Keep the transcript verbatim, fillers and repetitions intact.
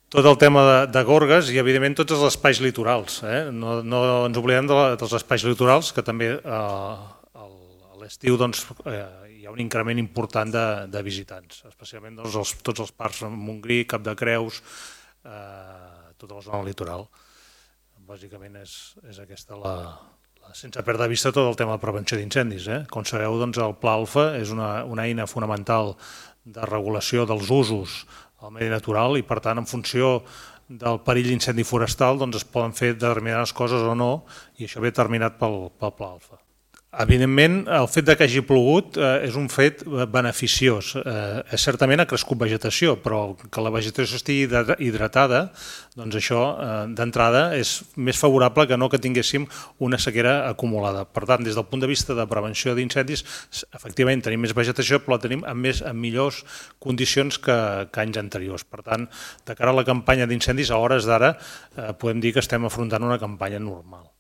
Tot el tema de, de gorgues i, evidentment, tots els espais litorals. Eh? No, no ens oblidem de la, dels espais litorals, que també eh, a l'estiu doncs, eh, hi ha un increment important de, de visitants, especialment doncs, els, tots els parcs de Montgrí, Cap de Creus, eh, tota la zona litoral. Bàsicament és, és aquesta la, la... Sense perdre de vista tot el tema de prevenció d'incendis. Eh? Com sabeu, doncs, el Pla Alfa és una, una eina fonamental de regulació dels usos al medi natural i, per tant, en funció del perill d'incendi forestal doncs es poden fer determinades coses o no, i això ve determinat pel, pel Pla Alfa. Evidentment, el fet que hagi plogut eh, és un fet beneficiós. Eh, certament ha crescut vegetació, però que la vegetació estigui hidratada, doncs això eh, d'entrada és més favorable que no que tinguéssim una sequera acumulada. Per tant, des del punt de vista de prevenció d'incendis, efectivament tenim més vegetació, però la tenim en, més, en millors condicions que, que anys anteriors. Per tant, de cara a la campanya d'incendis, a hores d'ara, eh, podem dir que estem afrontant una campanya normal.